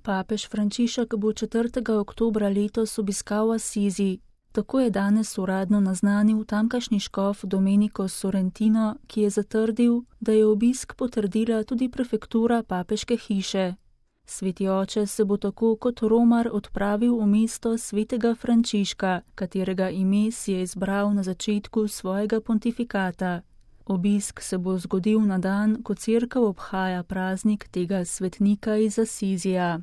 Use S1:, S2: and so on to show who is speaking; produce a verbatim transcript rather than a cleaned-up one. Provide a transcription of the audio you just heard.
S1: Papež Frančišek bo četrtega oktobra letos obiskal Asizi. Tako je danes uradno naznanil tamkajšnji škof Domenico Sorrentino, ki je zatrdil, da je obisk potrdila tudi prefektura papeške hiše. Sveti oče se bo tako kot romar odpravil v mesto svetega Frančiška, katerega ime si je izbral na začetku svojega pontifikata. Obisk se bo zgodil na dan, ko cerkev obhaja praznik tega svetnika iz Asizija.